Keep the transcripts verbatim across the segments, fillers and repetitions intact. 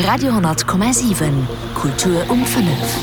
Radio honnert Komma siwen, Kultur um fënnef.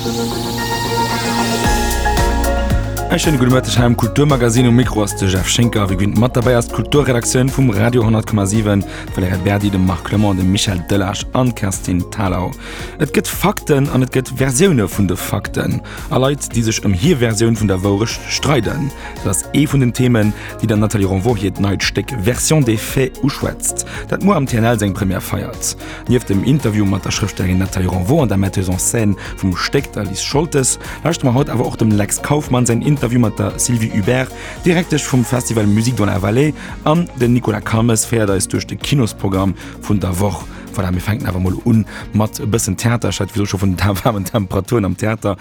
E schéine gudde Mëtteg hei am Kulturmagazin. Um Mikro ass de Jeff Schinker. Wéi gewinnt mat derbäi ass d'Kulturredaktioun vum Radio honnert Komma siwen, d'Valerija Berdi, de Marc Clement, de Michel Delage an d'Kerstin Thalau. Et gëtt Fakten an et gëtt Versioune vun de Fakten. A Leit, déi sech ëm hir Versioun vun der Wourecht streiden. Dat ass ee vun den Themen, déi der Nathalie Ronvaux hiert neit Stéck Version des faits uschwätzt, dat muer am T N L seng Première feiert. Nieft dem Interview mat der Schrëftstellerin Nathalie Ronvaux an der Metteuse en scène vum Stéck, der Liz Scholtes, lauschtere mer haut awer och dem Lex Kauffmann säin Interview mat der Sylvie Hubert, Direktesch vum Festival Musique dans la Vallée, an den Nicolas Calmes féiert eis duerch de Kinosprogramm vun der Woch. Voilà, mir fänken awer mol un mat e bëssen Theater. Ech hat wéi scho vun den waarmen Temperaturen am Theater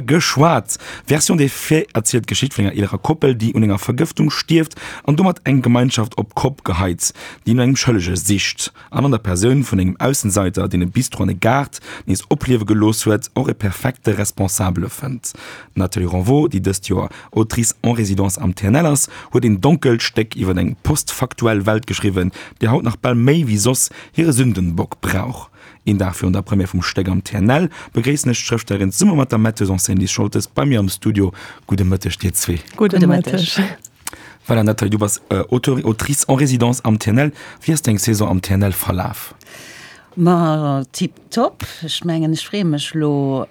geschwat. Version des faits erzielt d'Geschicht vun enger eelerer Koppel, déi un enger Vergëftung stierft an domat eng Gemeinschaft op d'Kopp geheit, déi no engem Schëllege sicht an an der Persoun vun engem Aussenseiter, deen e Bistro an e Gaart nees opliewe gelooss huet, och e perfekte Responsabele fënnt. D'Nathalie Ronvaux, déi dëst Joer Autrice en résidence am T N L ass, huet een donkelt Stéck iwwer eng postfaktuell Welt geschriwwen, déi haut nach bal méi wéi soss hire Sündenbock brauch. Een Dag virun der Première vum Stéck am T N L begréissen ech d'Schrëftstellerin zesumme mat der Metteuse en scène Liz Scholtes bei mir am Studio. Gudde Mëtteg dir zwee. Gudde Mëtteg. Voilà, Nathalie, du bass Auteur, Autrice en résidence am T N L. Wéi ass deng Saison am T N L verlaf? Ma tipptopp. Ech mengen, ech freeë mech lo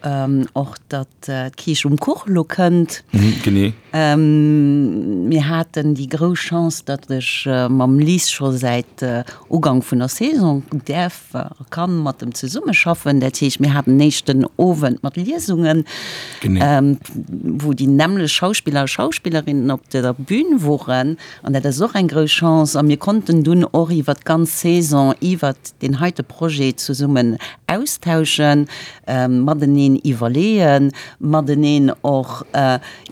och, datt d'Kiisch um Kuch lo kënnt. Mhm, genee. Mir haten déi grouss Chance, datt ech mam Liz scho säit Ugank vun der Saison däerf a kann mat em zesummeschaffen. Dat heescht, mir haten den éischten Owend mat Liesungen, wou déi nämmlech Schauspiller a Schauspillerinnen op der Bühn woren. An dat ass och eng grouss Chance. A mir konnten dunn och iwwer d'ganz Saison iwwer deen heite Projet zesummen austauschen, mateneen iwwerleeën, mateneen och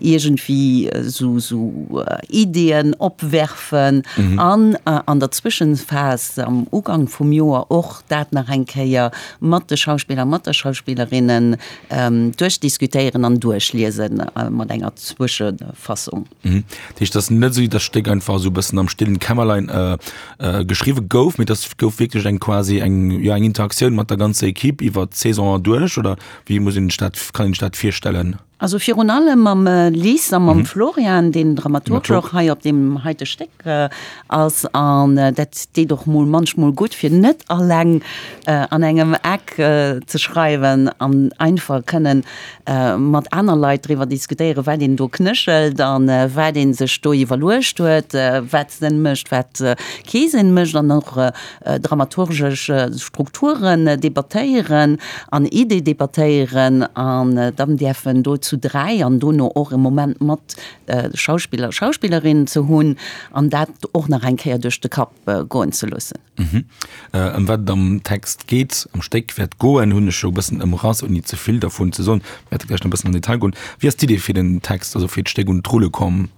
iergendwéi sou sou Ideeën opwerfen an an der Zwëschenphas am Ugank vum Joer och dat nach eng Kéier mat de Schauspiller, mat der Schauspillerinnen duerchdiskutéieren an duerchliesen mat enger Zwëschefassung. Dat heescht, et ass net esou, datt d'Stéck einfach esou e bëssen am stillen Kämmerlein geschriwwe gouf, mee dass gouf wierklech eng quasi eng, ja, eng Interaktioun mat der ganzer Equipe iwwer d'Saison erduerch, oder wéi muss een sech dat, kann een sech dat virstellen? Also virun allem mam Liz a mam Florian, deen Dramaturg och hei op deem heite Stéck ass. An dat deet och mol manchmol gutt, fir net alleng an engem Eck ze schreiwen an einfach kënnen mat aner Leit driwwer diskutéieren, wat een do knéchelt an wat ee sech do iwwerluecht huet, wat Sënn mécht, wat kee Sënn mécht, an och dramaturgesch Strukturen debattéieren an Idee debattéieren an dann däerfen do zu dräi an dono och e Moment mat Schauspiller, Schauspillerinnen ze hunn an dat och nach eng Kéier duerch de Kapp goen ze loossen. Ëm wat et am Text geet, am Stéck wäert goen, hunn ech scho e bëssen ëmrass, ouni ze vill dervun ze soen. Mir wäerte gläich nach e bëssen an Detail goen. Wéi ass d'Idee fir den Text, also fir d'Stéck un d'Rulle komm?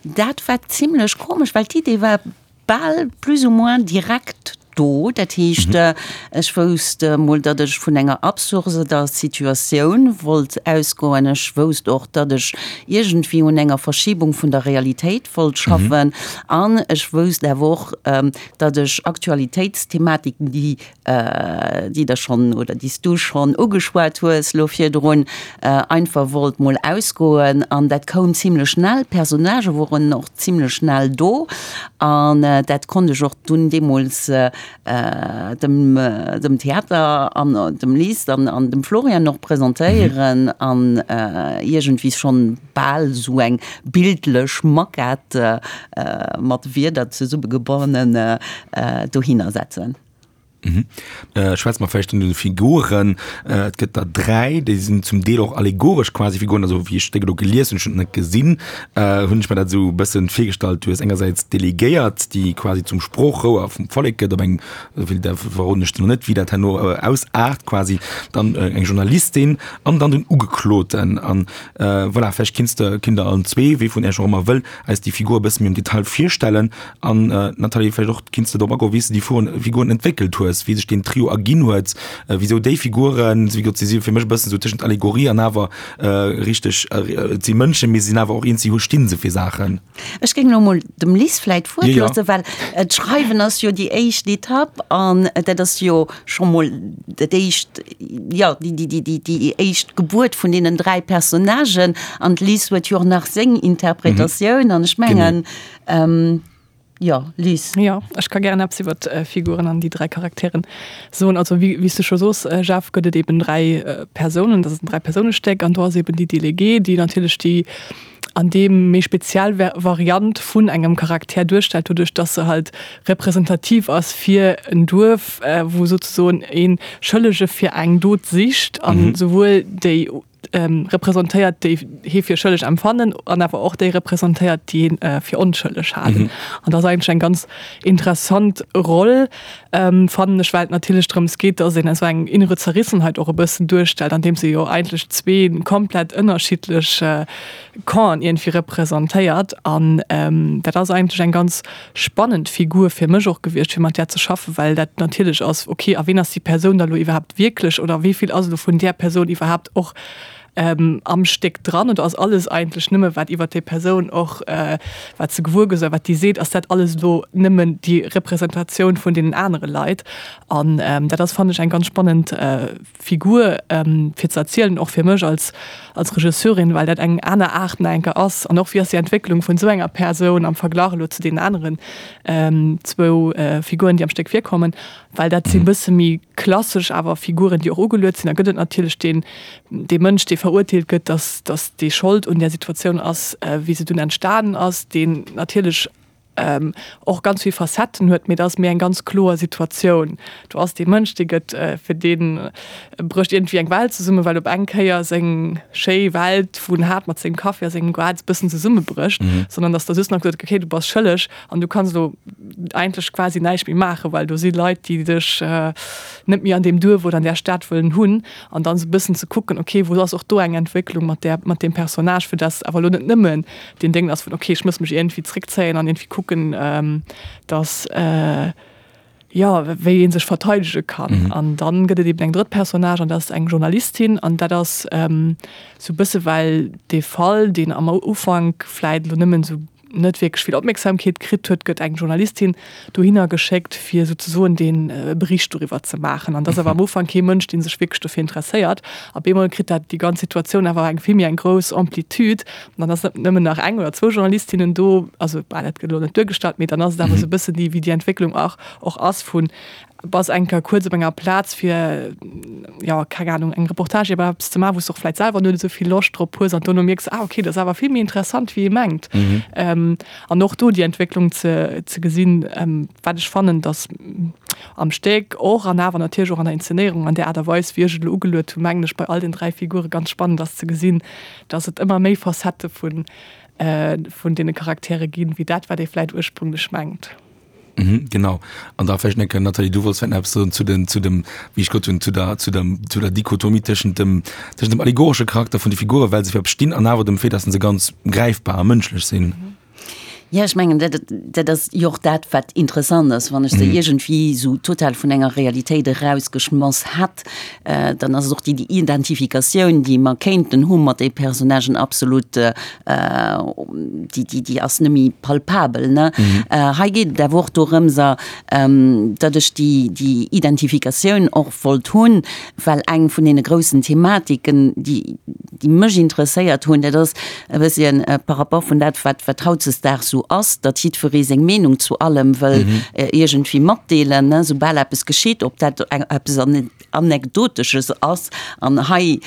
Dat war zimlech komesch, well d'Idee war bal plus ou moins direkt do. Dat heescht, ech wousst emol, datt ech vun enger absurder Situatioun wollt ausgoen. Ech wousst och, datt ech iergendwéi un enger Verschiebung vun der Realitéit wollt schaffen. An ech wousst awer och, datt ech Aktualitéitsthematiken, déi déi der schonn oder déi s du schonn ugeschwat hues lo virdrun, einfach wollt mol ausgoen. An dat koum zimlech schnell. D'Personnagë woren och zimlech schnell do. An dat konnt ech och dunn deemools dem dem Theater an dem Liz an an dem Florian och presentéieren an iergendwéi schonn bal esou eng bildlech Maquette mat Wierder zesummegebonne dohinner setzen. Schwätze mer vläicht un de Figuren. Et gëtt der dräi, déi sinn zum Deel och allegoresch quasi Figuren. Also wéi ech d'Stéck elo gelies hunn, ech hunn et net gesinn, hunn ech mer dat esou e bëssen virgestallt. Du hues engersäits d'Delegéiert, déi quasi zum Sproochrouer vum Vollek gëtt, op eng, wéi da verroden ech der nach net, wéi dat herno ausaart quasi, dann eng Journalistin an dann den Ugekloten. An voilà, vläicht kinns de, kinnt der allen zwee, wee vun Iech och ëmmer wëll, eis déi Figur e bësse méi am Detail virstellen. An Nathalie, vläicht och kinns de drop agoen, wéi s de déi Figuren entwéckelt hues. hues, wéi sech deen Trio erginn huet, wisou déi Figuren, wéi gesot, si si fir mech e bëssen esou tëschent Allegorie an awer richteg, et si Mënschen, mee si sinn awer och eens, si hu sti se fir Saachen. Ech géing elo mol dem Liz vläit d'Wuert loossen, well d'Schreiwen ass jo déi éischt Etapp an dat ass jo scho mol dat éischt, jo, déi éischt Gebuert vun deenen dräi Personnagen an d'Liz huet jo och nach seng Interpretatioun an ech mengen, jo, Liz. Jo, ech ka gären eppes iwwer d'Figuren an déi dräi Charakteren soen. Also wéi s de scho soos, Jeff, gëtt et eben dräi Persounen, dat ass en Dräi-Persoune-Stéck an do ass eben déi Déléguée, déi natierlech déi an deem méi speziell Variant vun engem Charakter duerstellt, doduerch dass se halt representativ ass fir en Duerf, wou souzesoen ee Schëllege fir eng Dot sicht an souwuel déi representéiert, déi hie fir schëlleg empfannen an awer och déi representéiert, déi hien fir onschëlleg halen. An dat ass eigentlech eng ganz interessant Roll, fannen ech, well et natierlech drëms geet, dass een esou eng innere Zerrissenheit och e bëssen duerstellt, andeems ee jo eigentlech zwee komplett ënnerschiddlech Campen iergendwéi representéiert. An dat ass eigentlech eng ganz spannend Figur fir mech och gewiescht, fir mat där ze schaffen, well dat natierlech ass, okay, a ween ass déi Persoun da lo iwwerhaapt wierklech oder wéi vill ass elo vun där Persoun iwwerhaapt och am Stéck dran oder ass alles eigentlech nëmme wat iwwer déi Persoun och wat se gewuer gëtt oder wat déi seet, ass dat alles elo nëmmen déi Representatioun vun deenen anere Leit? An dat ass fannen ech eng ganz spannend Figur fir ze erzielen, och fir mech als als Regisseurin, well dat eng aner Aart nach eng Kéier ass an och wéi ass déi Entwécklung vun esou enger Persoun am Verglach elo zu deenen aneren zwou Figuren déi am Stéck virkommen, well dat si bësse méi klassesch awer Figuren, déi och ugeluet sinn. Da gëtt et natierlech deen, dee Mënsch, dee verurteelt gëtt, dass, dass dee Schold un där Situatioun ass, wéi se dunn entstanen ass, deen natierlech och ganz vill Facetten huet, mee dat ass méi eng ganz kloer Situatioun. Do ass dee Mënsch, dee gëtt, fir dee brécht iergendwéi eng Welt zesummen, well op eng Kéier seng schéi Welt, wou en hat mat sengem Kaffi a sengem Goart, e bëssen zesummebrécht, sondern dass da just nach gesot gëtt, okay, du bass schëlleg an du kanns elo eigentlech quasi näischt méi maachen, well do si Leit, déi dech net méi an deem Duerf oder an där Stad wëllen hunn. An dann esou e bëssen ze kucken, okay, wou ass och do eng Entwécklung mat där, mat deem Personnage, fir dass awer elo net nëmmen deen Déngen ass vun, okay, ech muss mech iergendwéi zréckzéien an iergendwéi kucken, dass, jo, wéi ee sech verteidege kann. An dann gëtt et eben eng drëtt Personnage an dat ass eng Journalistin an dat ass esou e bësse well dee Fall, deen am Ufank vläit elo nëmmen esou net wierklech vill Opmierksamkeet kritt huet, gëtt eng Journalistin dohinner geschéckt, fir souzesoen dee Bericht doriwwer ze maachen. An dat ass awer am Ufank kee Mënsch, dee sech wierklech dofir interesséiert. Op eemol kritt dat déi ganz Situatioun awer eng vill méi eng grouss Amplitude. An dann ass net nëmmen nach eng oder zwou Journalistinnen do, also bah, dat gëtt elo net duergestallt, mee dann ass et awer esou e bëssen déi, wéi déi Entwécklung och och ass vun bass eng Kéier kuerz op enger Plaz fir, jo, keng Ahnung, eng Reportage iwwer eppes ze maachen, wou s de och vläit selwer net esou vill Loscht drop hues an dono mierks, ah okay, dat ass awer vill méi interessant wéi ee mengt. An och do déi Entwécklung ze ze gesinn, wat ech fannen, datt am Stéck och an awer natierlech och an der Inszenéierung an där Aart a Weis wéi ech et elo ugeluet hunn, mengen ech bei all den dräi Figure ganz spannend ass ze gesinn, datt et ëmmer méi Facettë vun vun deene Charaktere ginn, wéi dat wat ee vläit ursprünglech mengt. Mhm, genau. An da vläicht nach, Nathalie, du wollts vläicht nach eppes soen zu den, zu dem, wéi ech gesot hunn, zu der, zu dem, zu der Dichotomie tëschent dem, tëschent dem allegoresche Charakter vun de Figuren, well se fir eppes stinn, an awer dem Fait, dass se ganz gräifbar a mënschlech sinn. Jo, ech mengen, dat, dat ass jo och dat, wat interessant ass. Wann ech se iergendwéi esou total vun enger Realitéit erausgeschmoss hätt, dann ass et och déi, déi Identifikatioun, déi mer kéinten hu mat de Personnagen, absolut, déi, déi, déi ass net méi palpabel, ne? Hei geet et awer och dorëmser, datt ech déi, déi Identifikatioun och wollt hunn, well eng vun deene groussen Thematiken, déi, déi mech interesséiert hunn, dat ass e bësschen par rapport vun dat, wat, wat hautzesdaags esou ass, datt jiddweree seng Meenung zu allem wëll iergendwéi matdeelen, ne, soubal eppes geschitt, ob dat eppes Anekdotesches ass. An hei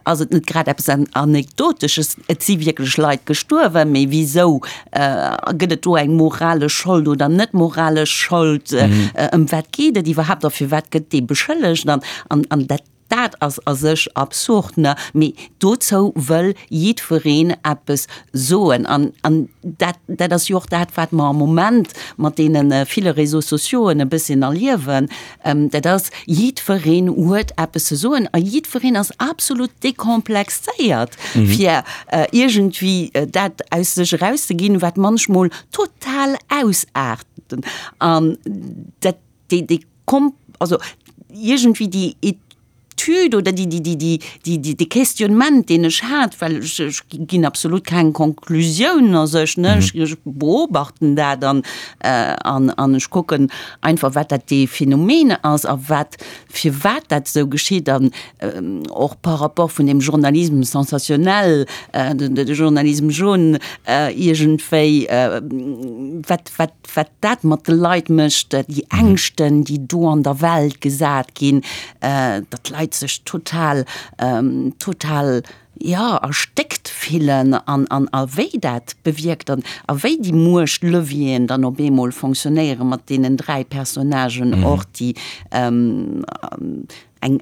ass et net grad eppes Anekdotesches, et si wierklech Leit gestuerwen, mee wisou gëtt et do eng moralesch Schold oder net moralesch Schold, ëm wat geet et iwwerhaapt a firwat gëtt dee beschëllegt an, an dat. Dat ass a sech absurd, ne? Mee dozou wëll jiddwereen eppes soen. An, an dat, dat ass jo och dat, wat mer am Moment mat deene ville Réseaux sociauxen e bësschen erliewen. Dat ass, jiddwereen huet eppes ze soen a jiddwereen ass absolut dekomplexéiert, fir iergendwéi dat aus sech erauszeginn, wat munchmol total ausaart. An dat, déi, déi. also iergendwéi déi Etüd oder déi, déi, déi, déi, déi, déi, de Questionnement, deen ech hat, well ech, ech ginn absolut keng Konklusioun a sech, ne, ech, ech beobachten dat an, an, an ech kucken einfach, wat dat dee Phänomen ass a wat, firwat dat esou geschitt an och par rapport vun dem Journalisme sensationnel, de Journalisme jaune, iergendwéi, wat, wat, wat dat mat de Leit mécht, déi Ängschten, déi do an der Welt gesat ginn, datt d'Leit sech total, total, jo, erstéckt fillen an, an, a wéi dat bewierkt an a wéi déi Muechtlevieren dann op eemol fonctionnéiere mat deenen dräi Personnagen och, déi eng,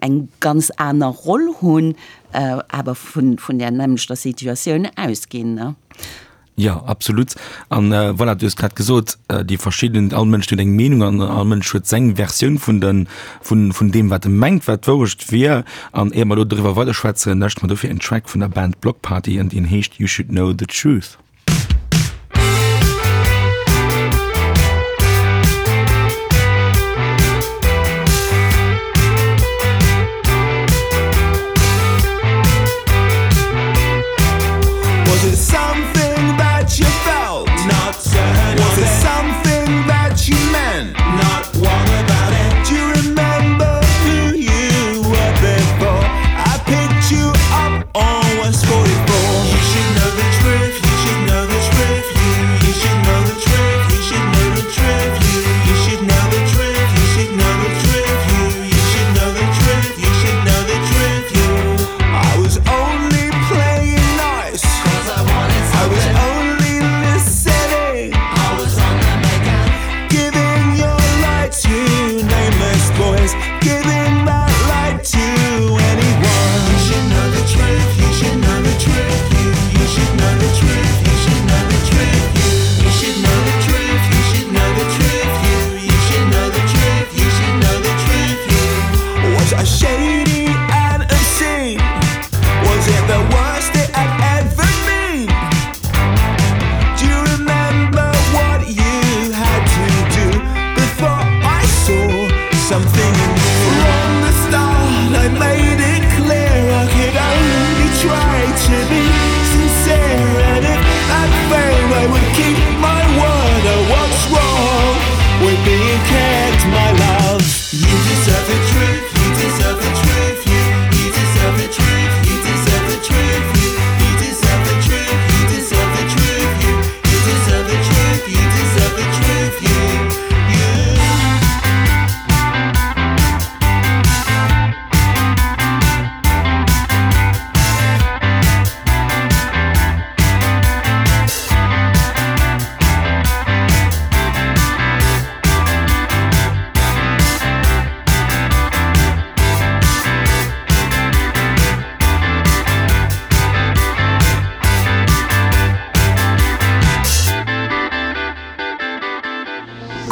eng ganz aner Roll hunn, awer vun, vun där nämmlechter Situatioun ausginn, ne. Jo, absolut. An voilà, du hues grad gesot, déi verschidden, all Mënsch huet eng Meenung an all Mënsch huet seng Versioun vun de, vun, vun deem, wat e mengt, wat d'Wourecht wier. An éier mer elo doriwwer weiderschwätzen, lauschteren mer dofir en Track vun der Band Bloc Party an deen heescht You Should Know the Truth.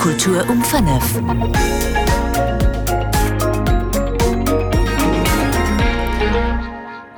Kultur um fënnef.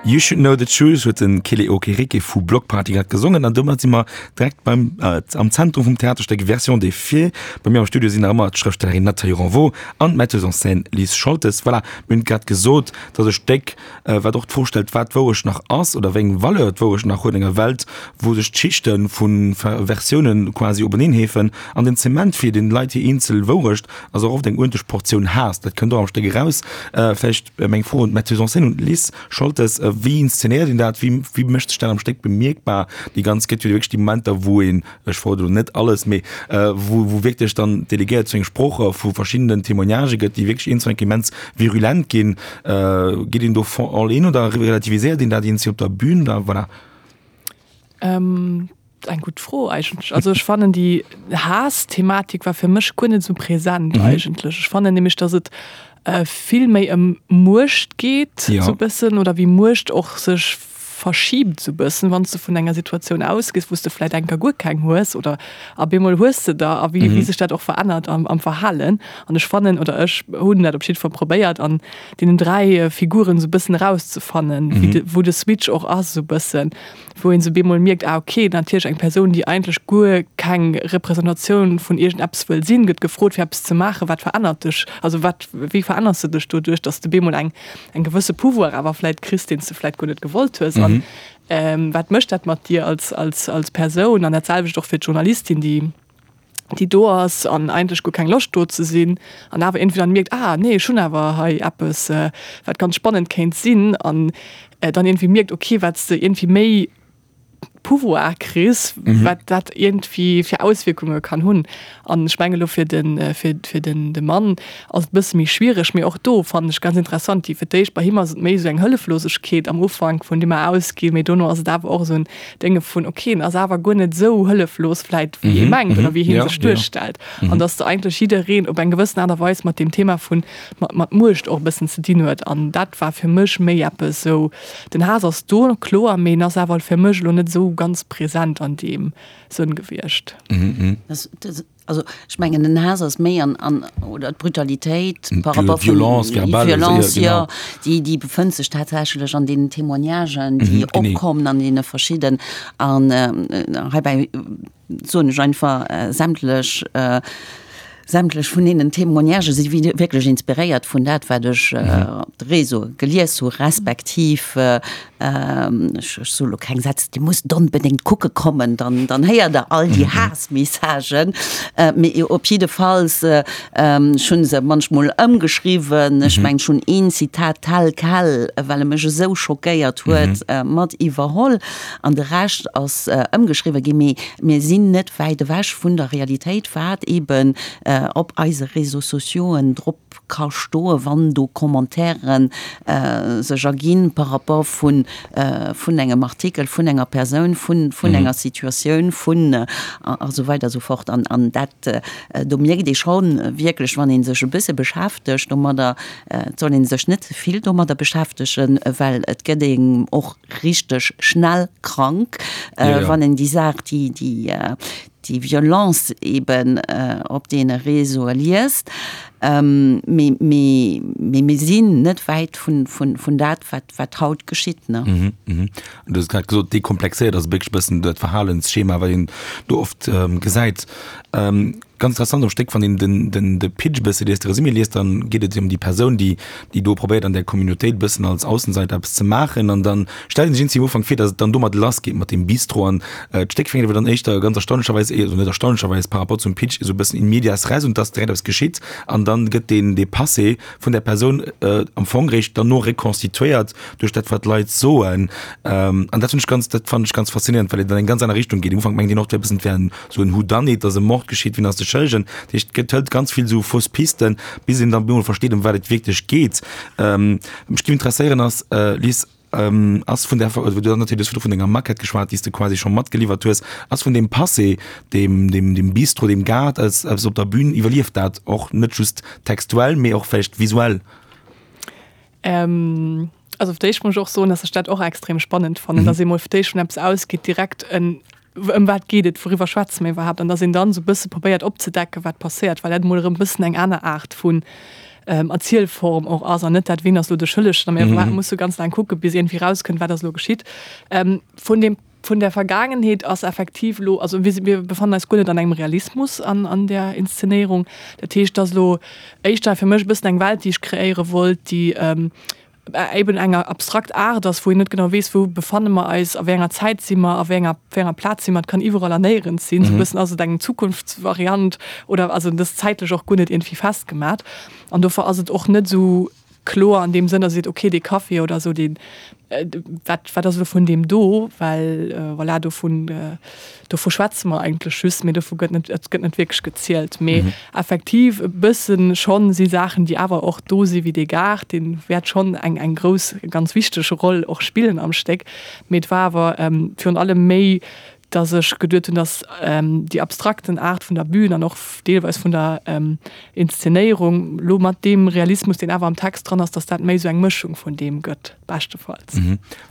You Should Know the Truth huet de Kele Okereke vu Bloc Party grad gesongen an domat si mer direkt beim am Zentrum vum Theaterstéck Version des faits. Bei mir am Studio sinn nach ëmmer d'Schrëftstellerin Nathalie Renvaux an d'Metteuse en scène Liz Scholtes. Voilà, mir hunn grad gesot, dass e Stéck, wat och d'Fro stellt, wat d'Wourecht nach ass oder wéi eng Valeur d'Wourecht nach huet an enger Welt, wou sech d'Schichte vu Versiounen quasi openeen heefen an den Zement fir den Leit hir eenzel Wourecht ass och oft eng uerdentlech Portioun Haass. Dat kënnt och am Stéck eraus. Vläicht meng Fro un d'Metteuse en scène, un d'Liz Scholtes, Wéi inszenéiert een dat? Wéi, wéi mécht sech dat am Stéck bemierkbar? Déi ganz, gëtt jo wierklech déi Momenter, wou een, ech verrode lo net alles, mee wou, wou wierklech dann d'Delegéiert zu engem Sprocher vu verschiddenen Témoignagë gëtt, déi wierklech eenzel enk immens virulent ginn. Geet een do all in oder relativiséiert een dat eenzel op der Bühn? Da voilà. Ähm, eng gutt Fro eigentlech. Also ech fannen déi Haass-Thematik war fir mech guer net esou präsent mhm. eigentlech. Ech fannen nämlech, dass et äh, vill méi ëm Muecht geet, ja. so bëssen, oder wéi Muecht och sech verschiebt sou bëssen, wann s de vun enger Situatioun ausgees, wou s de vläit enker guer keng hues oder a bemol hues de der a wéi wéi sech dat och verännert am am Verhalen. An ech fannen oder ech hunn dat op jidde Fall probéiert an deenen dräi Figuren sou bëssen erauszefannen, wéi de wou de Switch och ass sou bëssen, wou een sou bemol mierkt, ah okay, natierlech eng Persoun, déi eigentlech guer keng Representatioun vun iergendeppes wëll sinn, gëtt gefrot fir eppes ze maachen, wat verännert dech, also wat wéi veränners de dech doduerch, dass de bemol eng eng gewësse Pouvoir awer vläit kriss, deen s de vläit guer net gewollt hues an wat mécht dat mat dir als als als Persoun an dat selwecht och fir d'Journalistin, déi déi do ass an eigentlech guer keng Loscht do ze sinn an awer iergendwéi dann mierkt, ah nee, ech hunn awer hei eppes wat ganz spannend kéint sinn an dann iergendwéi mierkt, okay, wat s de iergendwéi méi Pouvoir kriss, wat dat iergendwéi fir Auswierkunge kann hunn. An ech mengen elo fir de fir fir den de Mann ass et e bësse méi schwiereg, mee och do fannen ech ganz interessant, déi fir d'éischt bei him ass et méi esou eng Hëlleflosegkeet am Ufank, vun deem mer ausginn, mee dono ass et awer och esou en Dénge vun, ok, en ass awer guer net esou hëlleflos vläit wéi ee mengt oder wéi hie sech duerstellt. An datt de eigentlech jiddereen op eng gewëssen Aart a Weis mat deem Thema vun mat mat Muecht och e bëssen ze dinn huet. An dat war fir mech méi eppes esou, den Haass ass do, kloer, mee en ass awer fir mech elo net esou ganz present an deem Sënn gewiescht. Also ech mengen den Haass ass méi an, an oder d'Brutalitéit par rapport vun Violence verbale, Violence, jo, jo, déi, déi befënnt sech tatsächlech an deenen Témoignagen, déi opkommen an deene verschidden. An heibäi soen ech einfach sämtlech, Sämtlech vun deenen Témoignagë si wierklech inspiréiert vun dat, wat ech op de Réseaue gelies hu respektiv, ech soe lo keng Sätz, Dir musst onbedéngt kucke kommen, dann dann héiert Der all déi Haassmessagen. Mee op jiddefalls, ech hu se munchmol ëmgeschriwwen. Ech mengen, ech hunn een Zitat tel quel, well e mech esou schockéiert huet, mat iwwerholl an de Rescht ass ëmgeschriwwe ginn. Mee mir sinn net wäit ewech vun der Realitéit, wat eeben op eise Réseaux sociauxen drop ka stoen, wann do Commentairen sech erginn par rapport vun vun engem Artikel, vun enger Persoun, vun vun enger Situatioun, vun a sou weider a sou fort. An an dat, do mierkt ee scho wierklech, wann ee sech e bësse beschäftegt domadder, et soll ee sech net ze vill domadder beschäftegen, well et gëtt een och richteg schnell krank, wann een déi Saach, déi déi déi Violence eben op deene Réseaue liest. Mee mee mee mir sinn net wäit vun vun vun dat, wat wat haut geschitt, ne? Du hues grad gesot, dekomplexéiert ass wierklech e bëssen dat Verhalensschema, wat een do oft gesäit. Ganz interessant am Stéck, wann een den, den, de Pitch e bësse liest, de Resumé liest, dann geet et ëm déi Persoun, déi, déi do probéiert an där Communautéit e bëssen als Aussenseiter eppes ze maachen. An dann stellt een sech iergendwéi am Ufank vir, datt et dann domat lass geet mat deem Bistro. An d'Stéck fänkt awer dann éischter ganz erstaunlecherweis, also net erstaunlecherweis par rapport zum Pitch, esou e bëssen in medias res un, dass direkt eppes geschitt. An dann gëtt deen, dee Passé vun där Persoun am Fong réischt derno reconstituéiert duerch dat, wat d'Leit soen. An dat hunn ech ganz, dat fannen ech ganz faszinéierend, well et an eng ganz aner Richtung geet. Am Ufank mengt een och, et wär e bëssen, et wär en Sou en Whodunit, dass e Mord geschitt, wien ass de Schëllegen? Dat heescht, et gëtt hëlt ganz vill sou fausse Pisten, bis een dann bemol versteet, ëm wat et wierklech geet. Wat mech géif interesséieren ass, Liz, ass vun där, du hues natierlech virdru vun denger Maquette geschwat, déi s de quasi scho matgeliwwert hues, ass vun deem Passé, deem, deem, deem Bistro, deem Gaart, eppes op der Bühn, iwwerlieft dat och net just textuell, mee och vläicht visuell? Ähm, also fir d'éischt muss ech och soen, dass ech dat och extrem spannend fannen, mhm. dass ee mol fir d'éischt vun eppes ausgeet, direkt en ëm wat geet et, wouriwwer schwätze mir iwwerhaapt, an dass een dann esou e bësse probéiert opzedecken, wat passéiert, well dat emol erëm e bëssen eng aner Aart vun ähm, Erzielform och ass an net dat, wien ass elo de Schëllegen, a mir mhm. musse ganz laang kucke bis iergendwéi rauskënnt, wat ass elo geschitt. Ähm, vun dem Vun der Vergaangenheet ass effektiv elo, also mir mir befannen eis guer net an engem Realismus an an där Inszenéierung. Dat heescht, et ass elo éischter fir mech e bëssen eng Welt, déi ech kreéiere wollt, déi eben enger abstrakt Aart ass, wou een net genau weess, wou befanne mer eis, a wéi enger Zäit si mer, a wéi enger wéi enger Plaz si mer. Et kann iwwerall an néierens sinn. Esou e bëssen ass et eng Zukunftsvariant oder also et ass zäitlech och guer net iergendwéi festgemat. An dofir ass et och net esou kloer an deem Sënn, datt ee seet, okay, dee Café oder esou, deen, wat, wat ass elo vun deem do, well voilà, dovun, dovu schwätze mer eigentlech just, mee dovu gëtt net, et gëtt net wierklech gezielt. Mee effektiv e bësse schonn si Saachen, déi awer och do si wéi dee Gaart, dee wäert schonn eng, eng grouss, ganz wichteg Roll och spillen am Stéck. Mee et war awer virun allem méi dass ech geduet hunn, dass déi abstrakten Aart vun der Bühn an och deelweis vun der Inszenéierung lo mat deem Realismus, deen awer am Text dran ass, dass dat méi esou eng Mëschung vun deem gëtt, beschtefalls.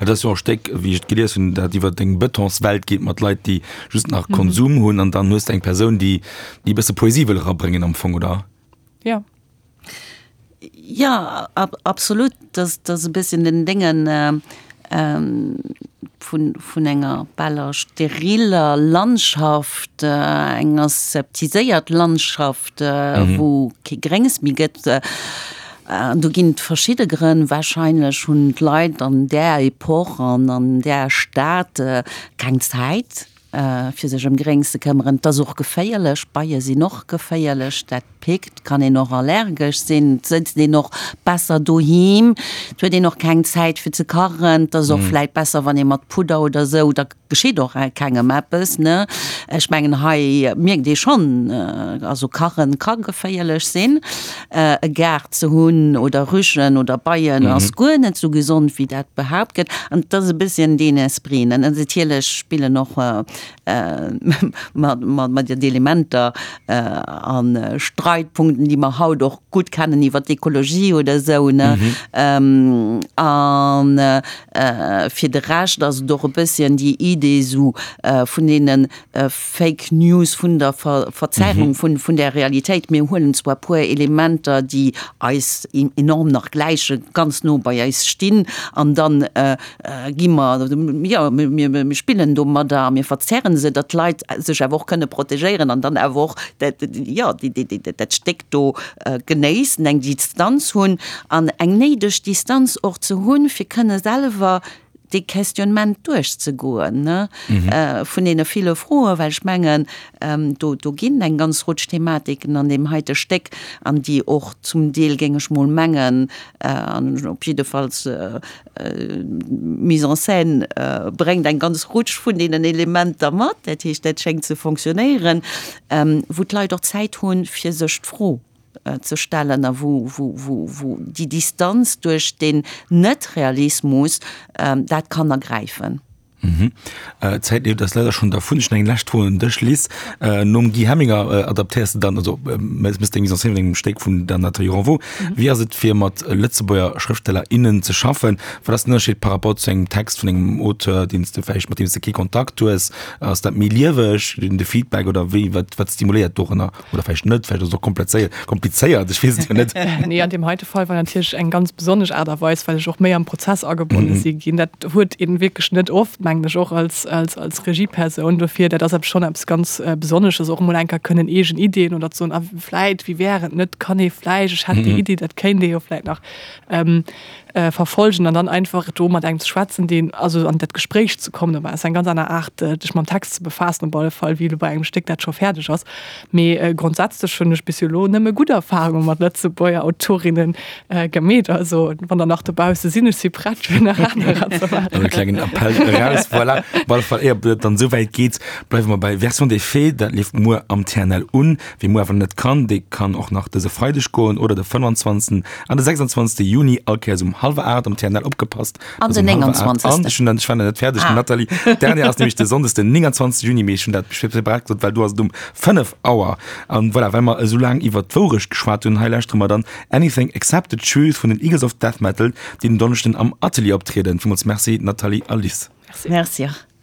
Et ass jo och e Stéck, wéi ech et gelies hunn, dat iwwer eng Betonswelt geet mat Leit, déi just nach Konsum hunn an dann hues de eng Persoun, déi e bësse Poesie wëll erabréngen am Fong, oder? Jo. Jo, absolut. Dat ass e bësschen den Déngen vun, vun enger baler steriller Landschaft, eng aseptiséiert Landschaft, wou kee Gréngs méi gëtt. An do ginn et verschidde Grënn. Wahrscheinlech hunn d'Leit an där Epoch an an där Stad keng Zäit, fir sech ëm Gréngs ze këmmeren. Et ass och geféierlech, Beie sinn och geféierlech, dat pickt, kann een och allergesch sinn, et sëtzt een och besser doheem, et huet een och keng Zäit fir ze kachen, et ass och vläit besser wann ee mat Pudder oder esou, da geschitt och kengem eppes, ne. Ech mengen hei mierkt ee schonn, also kachen ka geféierlech sinn, e Gaart ze hunn oder Rüschen oder Beien ass guer net esou gesond wéi dat behaapt gëtt an et ass e bësschen deen Esprit, ne. Natierlech spillen och mat den Elementer a Streitpunkten, déi mer haut och gutt kennen iwwer d'Ekologie oder esou, ne. A fir de Rescht ass et och e bësschen déi Idee esou vun deene Fake News, vun der Verzerrung vun der Realitéit. Mir huelen zwar e puer Elementer, déi eis enorm nach gläichen, ganz no bei eis stinn, an dann gi mer, jo, mir spillen domadder a mir verzerren se, datt d'Leit sech awer och kënne protegéieren an dann awer och dat, jo, dat Stéck do genéissen, eng Distanz hunn an eng néideg Distanz och ze hunn, fir kënne selwer dee Questionnement duerchzegoen, ne, vun deene ville Froen, well ech mengen, do, do ginn eng ganz Rutsch Thematiken an deem heite Stéck an déi och zum Deel, géing ech mol mengen, an op jiddefalls d'Mise en scène bréngt eng ganz Rutsch vun deenen Elementer mat, dat heescht, dat schéngt ze fonctionnéieren, wou d'Leit och Zäit hunn, fir sech d'Fro ze stellen a wou, wou, wou, wou déi Distanz duerch den Net-Realismus dat kann ergräifen. D'Zäit leeft eis leider schonn dervun. Ech hunn eng lescht Fro un dech, Liz. Nom Guy Helminger adaptéiers de dann, also méchs deng Mise en scène vun engem Stéck vun der Nathalie Renvaux. Wéi ass et fir mat Lëtzebuerger Schrëftsteller, innen ze schaffen? Wat ass den Ënnerscheed par rapport zu engem Text vun engem Auteur, deen s de vläicht, mat deem s de kee Kontakt hues? Ass dat méi lieweg, de Feedback, oder wéi, wat, wat stimuléiert dorënner? Oder vläicht net, vläicht ass et och komplezéiert, komplizéiert, ech weess et jo net. Nee, an deem heite Fall war natierlech eng ganz besonnesch Aart a Weis, well ech och méi am Prozess agebonne si ginn. Dat huet een wierklech net oft, mengen ech, och als, als, als Regiepersoun. Dofir, dat ass eppes schonn eppes ganz Besonnesches, och emol eng Kéier kënnen eegen Iddien oder ze soen, a vläit, wéi wär et net, kann ee vläicht, ech hätt déi Iddi, dat kéint ee jo vläit nach verfolgen an dann einfach do mat engem ze schwätzen, deen, also an dat Gespréich ze kommen, dat ass eng ganz aner Aart, dech mam Text ze befaassen op alle Fall, wéi elo bei engem Stéck, dat scho fäerdeg ass. Mee grondsätzlech hunn ech bis elo nëmme gutt Erfarunge mat Lëtzebuerger Autorinnen gemeet. Also wann der nach dobausse sinn, ech si prett fir nach anerer ze maachen. E klengen Appell eraus, voilà. Op alle Fall, éier et dann esou wäit geet, bleiwe mer bei Version des Faits. Dat leeft muer am T N L un. Wie muer awer net kann, dee kann och nach dëse Freideg goen oder de fënnefanzwanzegsten an de sechsundzwanzegste Juni, all Kéiers um hallwer aacht am T N L. Opgepasst, An den nénganzwanzegsten. An ech hunn dann, ech war nach net fäerdeg, Nathalie. Dernière ass nämlech de Sonndes, den nénganzwanzegste Juni, mee ech hunn dat separat gesot, well do ass et um fënnef Auer. An voilà, well mer esou laang iwwert d'Wourecht geschwat hunn, hei lauschtere mer dann Anything Except the Truth vun den Eagles of Death Metal, déi den Donneschden am Atelier optrieden. Villmools Merci, Nathalie a Liz. Merci. Merci och.